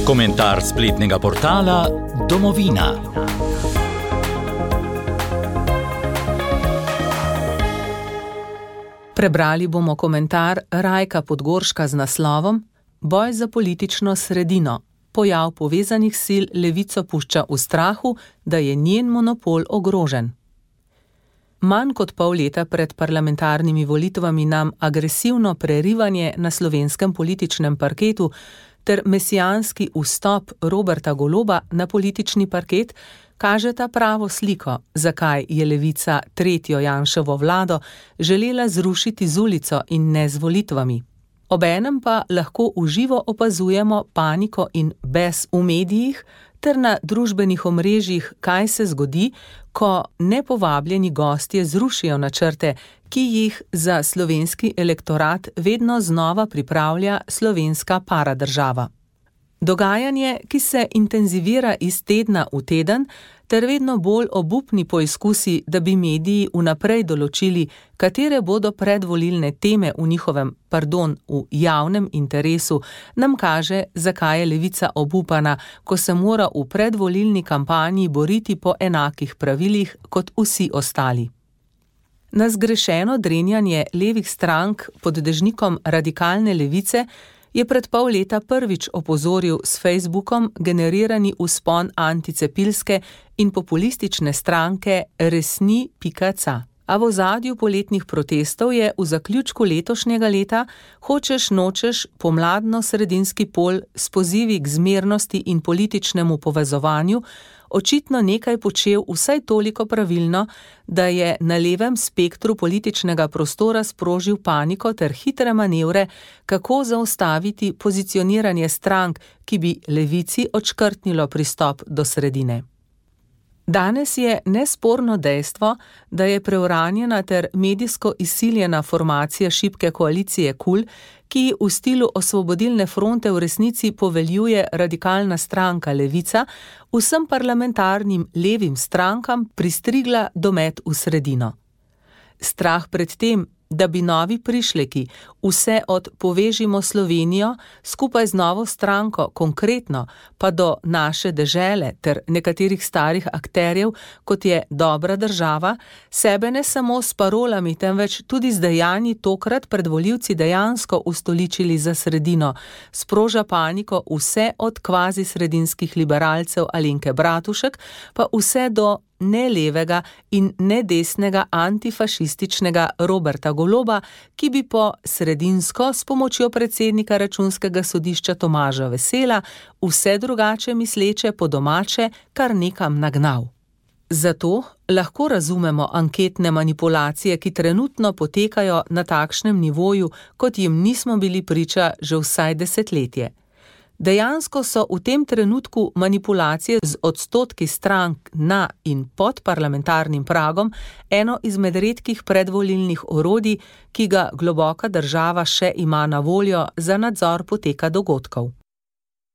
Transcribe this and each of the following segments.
Komentar spletnega portala Domovina. Prebrali bomo komentar Rajka Podgorška z naslovom Boj za politično sredino. Pojav povezanih sil levico pušča v strahu, da je njen monopol ogrožen. Manj kot pol leta pred parlamentarnimi volitvami nam agresivno prerivanje na slovenskem političnem parketu ter mesijanski vstop Roberta Goloba na politični parket kažeta pravo sliko, zakaj je levica tretjo Janševo vlado želela zrušiti z ulico in ne z volitvami. Obenem pa lahko v živo opazujemo paniko in bes v medijih ter na družbenih omrežjih, kaj se zgodi, ko nepovabljeni gostje zrušijo načrte, ki jih za slovenski elektorat vedno znova pripravlja slovenska paradržava. Dogajanje, ki se intenzivira iz tedna v teden, ter vedno bolj obupni poizkusi, da bi mediji vnaprej določili, katere bodo predvolilne teme v javnem interesu, nam kaže, zakaj je levica obupana, ko se mora v predvolilni kampanji boriti po enakih pravilih kot vsi ostali. Na zgrešeno drenjanje levih strank pod dežnikom radikalne levice je pred pol leta prvič opozoril s Facebookom generirani vzpon anticepilske in populistične stranke Resni.ca. A v ozadju poletnih protestov je v zaključku letošnjega leta hočeš nočeš pomladno-sredinski pol s pozivi k zmernosti in političnemu povezovanju očitno nekaj počel vsaj toliko pravilno, da je na levem spektru političnega prostora sprožil paniko ter hitre manevre, kako zaustaviti pozicioniranje strank, ki bi levici odškrtnilo pristop do sredine. Danes je nesporno dejstvo, da je preuranjena ter medijsko izsiljena formacija šibke koalicije KUL, ki v stilu Osvobodilne fronte v resnici poveljuje radikalna stranka Levica, vsem parlamentarnim levim strankam pristrigla domet v sredino. Strah pred tem, da bi novi prišleki vse od Povežimo Slovenijo skupaj z novo stranko konkretno pa do Naše dežele ter nekaterih starih akterjev, kot je Dobra država, sebe ne samo s parolami, temveč tudi z dejanji tokrat pred volivci dejansko ustoličili za sredino, sproža paniko vse od kvazi sredinskih liberalcev Alenke Bratušek pa vse do ne levega in ne desnega antifašističnega Roberta Goloba, ki bi po sredinsko s pomočjo predsednika Računskega sodišča Tomaža Vesela vse drugače misleče po domače kar nekam nagnal. Zato lahko razumemo anketne manipulacije, ki trenutno potekajo na takšnem nivoju, kot jim nismo bili priča že vsaj desetletje. Dejansko so v tem trenutku manipulacije z odstotki strank na in pod parlamentarnim pragom eno izmed redkih predvolilnih orodij, ki ga globoka država še ima na voljo za nadzor poteka dogodkov.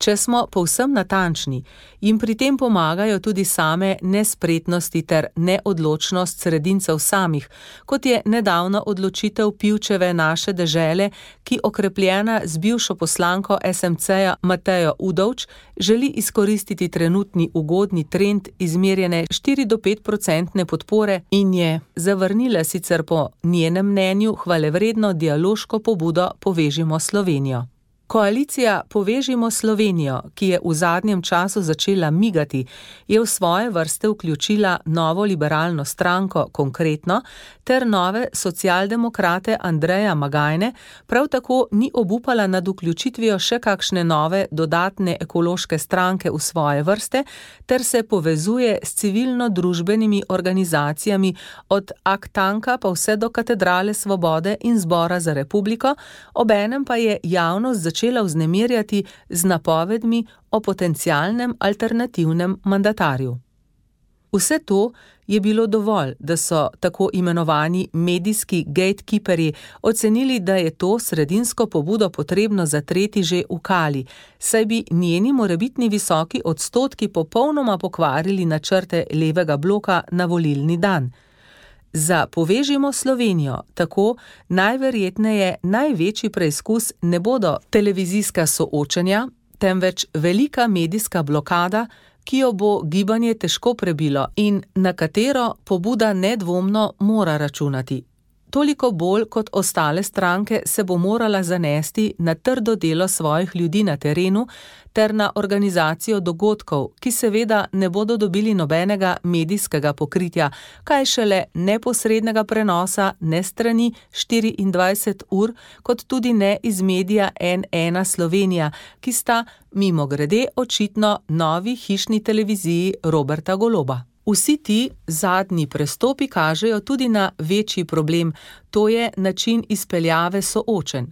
Če smo povsem natančni, jim pri tem pomagajo tudi same nespretnosti ter neodločnost sredincev samih, kot je nedavna odločitev Pivčeve Naše dežele, ki okrepljena z bivšo poslanko SMC-ja Matejo Udovč želi izkoristiti trenutni ugodni trend izmerjene 4-5% podpore in je zavrnila sicer po njenem mnenju hvalevredno dialoško pobudo Povežimo Slovenijo. Koalicija Povežimo Slovenijo, ki je v zadnjem času začela migati, je v svoje vrste vključila novo liberalno stranko Konkretno ter nove socialdemokrate Andreja Magajne, prav tako ni obupala nad vključitvijo še kakšne nove dodatne ekološke stranke v svoje vrste ter se povezuje s civilno-družbenimi organizacijami od Aktanka pa vse do Katedrale Svobode in Zbora za republiko, obenem pa je javnost začela vznemirjati z napovedmi o potencialnem alternativnem mandatarju. Vse to je bilo dovolj, da so tako imenovani medijski gatekeeperji ocenili, da je to sredinsko pobudo potrebno zatreti že v kali, saj bi njeni morebitni visoki odstotki popolnoma pokvarili načrte levega bloka na volilni dan. Za Povežimo Slovenijo tako najverjetneje največji preizkus ne bodo televizijska soočenja, temveč velika medijska blokada, ki jo bo gibanje težko prebilo in na katero pobuda nedvomno mora računati. Toliko bolj kot ostale stranke se bo morala zanesti na trdo delo svojih ljudi na terenu ter na organizacijo dogodkov, ki seveda ne bodo dobili nobenega medijskega pokritja, kaj šele neposrednega prenosa ne strani 24 ur, kot tudi ne iz medija N1 Slovenija, ki sta mimogrede očitno novi hišni televiziji Roberta Goloba. Vsi ti zadnji prestopi kažejo tudi na večji problem, to je način izpeljave soočenj.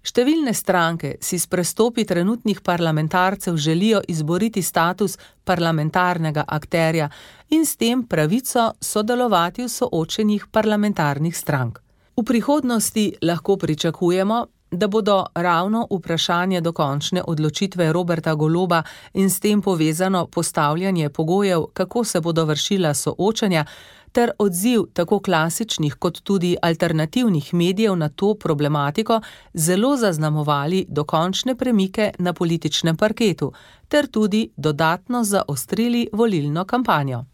Številne stranke si s prestopi trenutnih parlamentarcev želijo izboriti status parlamentarnega akterja in s tem pravico sodelovati v soočenjih parlamentarnih strank. V prihodnosti lahko pričakujemo, da bodo ravno vprašanje dokončne odločitve Roberta Goloba in s tem povezano postavljanje pogojev, kako se bodo vršila soočanja, ter odziv tako klasičnih kot tudi alternativnih medijev na to problematiko zelo zaznamovali dokončne premike na političnem parketu, ter tudi dodatno zaostrili volilno kampanjo.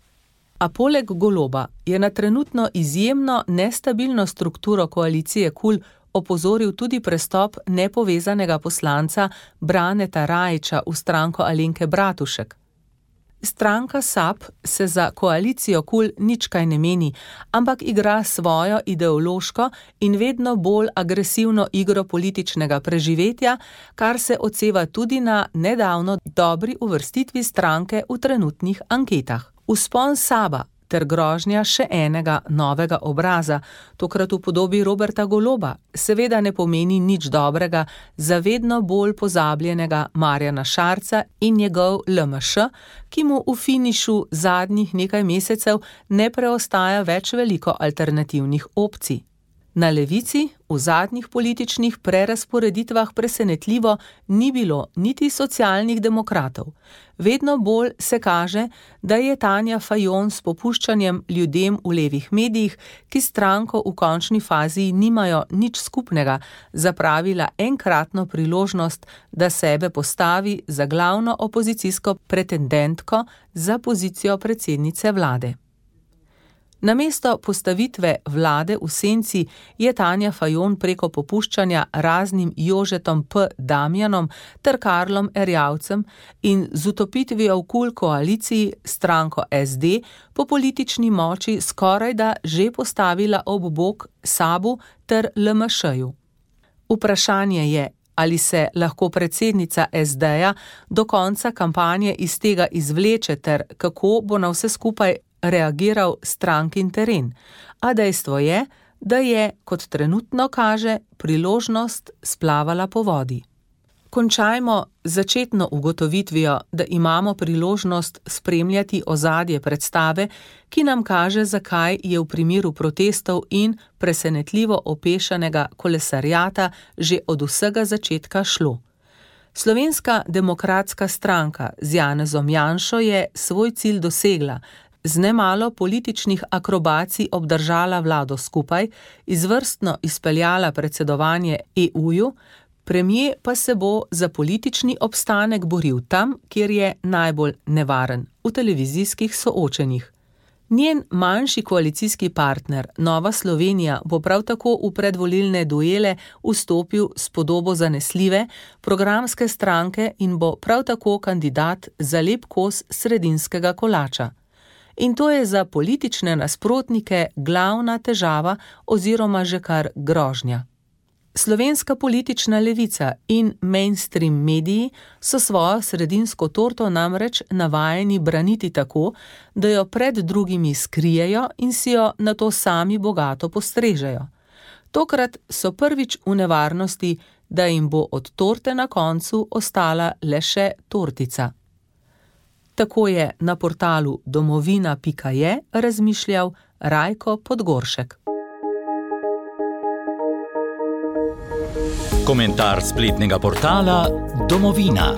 A poleg Goloba je na trenutno izjemno nestabilno strukturo koalicije KUL opozoril tudi prestop nepovezanega poslanca Braneta Rajića v stranko Alenke Bratušek. Stranka SAB se za koalicijo KUL nič kaj ne meni, ampak igra svojo ideološko in vedno bolj agresivno igro političnega preživetja, kar se odseva tudi na nedavno dobri uvrstitvi stranke v trenutnih anketah. Vzpon SAB-a ter grožnja še enega novega obraza, tokrat v podobi Roberta Goloba, seveda ne pomeni nič dobrega za vedno bolj pozabljenega Marjana Šarca in njegov LMŠ, ki mu v finišu zadnjih nekaj mesecev ne preostaja več veliko alternativnih opcij. Na levici v zadnjih političnih prerazporeditvah presenetljivo ni bilo niti socialnih demokratov. Vedno bolj se kaže, da je Tanja Fajon s popuščanjem ljudem v levih medijih, ki stranko v končni fazi nimajo nič skupnega, zapravila enkratno priložnost, da sebe postavi za glavno opozicijsko pretendentko za pozicijo predsednice vlade. Namesto postavitve vlade v senci je Tanja Fajon preko popuščanja raznim Jožetom P. Damjanom ter Karlom Erjavcem in z utopitvijo v KUL koaliciji stranko SD po politični moči skorajda že postavila ob bok SAB-u ter LMŠ-ju. Vprašanje je, ali se lahko predsednica SD-ja do konca kampanje iz tega izvleče ter kako bo na vse skupaj reagiral strankin teren, a dejstvo je, da je, kot trenutno kaže, priložnost splavala po vodi. Končajmo začetno ugotovitvijo, da imamo priložnost spremljati ozadje predstave, ki nam kaže, zakaj je v primeru protestov in presenetljivo opešanega kolesarjata že od vsega začetka šlo. Slovenska demokratska stranka z Janezom Janšo je svoj cilj dosegla, z nemalo političnih akrobacij obdržala vlado skupaj, izvrstno izpeljala predsedovanje EU-ju, premier pa se bo za politični obstanek boril tam, kjer je najbolj nevaren, v televizijskih soočenjih. Njen manjši koalicijski partner, Nova Slovenija, bo prav tako v predvolilne duele vstopil s podobo zanesljive programske stranke in bo prav tako kandidat za lep kos sredinskega kolača. In to je za politične nasprotnike glavna težava oziroma že kar grožnja. Slovenska politična levica in mainstream mediji so svojo sredinsko torto namreč navajeni braniti tako, da jo pred drugimi skrijejo in si jo nato sami bogato postrežejo. Tokrat so prvič v nevarnosti, da jim bo od torte na koncu ostala le še tortica. Tako je na portalu domovina.je razmišljal Rajko Podgoršek. Komentar spletnega portala Domovina.